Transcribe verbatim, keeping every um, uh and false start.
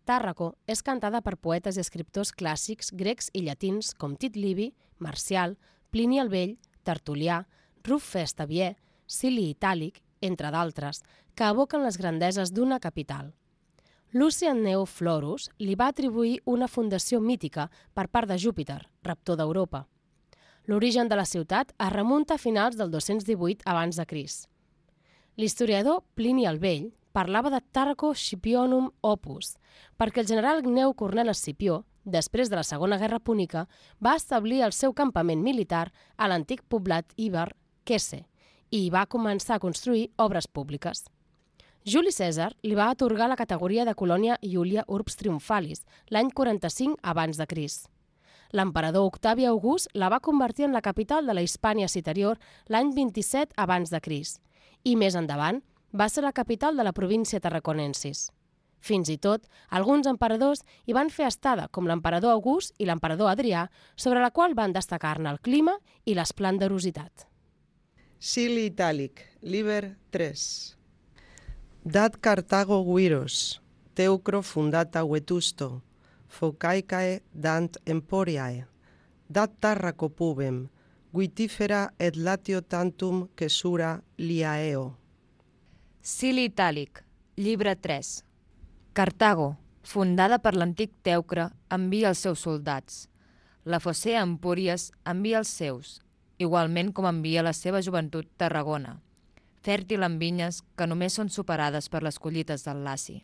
Tàrraco és cantada per poetes i escriptors clàssics grecs i llatins com Tit Livi, Marcial, Plini el Vell, Tertulià, Ruf Festavier, Sili Itàlic, entre d'altres, que evoquen les grandeses d'una capital. Lucian Gneu Florus li va atribuir una fundació mítica per part de Júpiter, raptor d'Europa. L'origen de la ciutat es remunta a finals del dos-cents divuit abans de Crist. L'historiador Plini el Vell parlava de Tàrraco Scipionum Opus, perquè el general Gneu Cornel Escipió, després de la Segona Guerra Púnica, va establir el seu campament militar a l'antic poblat íber Quesse i hi va començar a construir obres públiques. Juli Cèsar li va atorgar la categoria de colònia Iulia Urbs Triumphalis l'any quaranta-cinc abans de Crist. L'emperador Octavi August la va convertir en la capital de la Hispània Citerior l'any vint-i-set abans de Crist i més endavant va ser la capital de la província Tarraconensis. Fins i tot, alguns emperadors hi van fer estada, com l'emperador August i l'emperador Adrià, sobre la qual van destacar-ne el clima i l'esplenderositat. Sili Itàlic, Liber tres. Dat Cartago viros, teucro fundata Vetusto, focaicae dant emporiae, dat Tàrraco pubem, vitifera et latio tantum quesura liaeo. Sili Itàlic, llibre tres. Cartago, fundada per l'antic Teucre, envia els seus soldats. La Focea Empúries envia els seus, igualment com envia la seva joventut Tarragona, fèrtil en vinyes que només són superades per les collites del Laci.